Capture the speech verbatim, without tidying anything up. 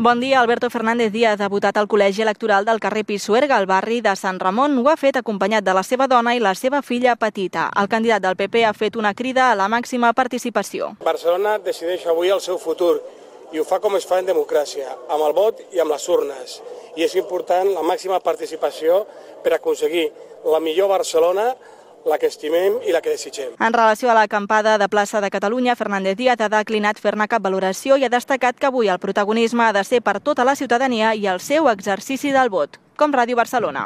Bon dia. Alberto Fernández Díaz ha votat al col·legi electoral del carrer Pisuerga, al barri de Sant Ramon. Ho ha fet acompanyat de la seva dona i la seva filla petita. El candidat del P P ha fet una crida a la màxima participació. Barcelona decideix avui el seu futur i ho fa com es fa en democràcia, amb el vot i amb les urnes. I és important la màxima participació per aconseguir la millor Barcelona, la que estimem i la que desitgem. En relació a l'acampada de plaça de Catalunya, Fernández Díaz ha declinat fer-ne cap valoració i ha destacat que avui el protagonisme ha de ser per tota la ciutadania i el seu exercici del vot. Com Ràdio Barcelona.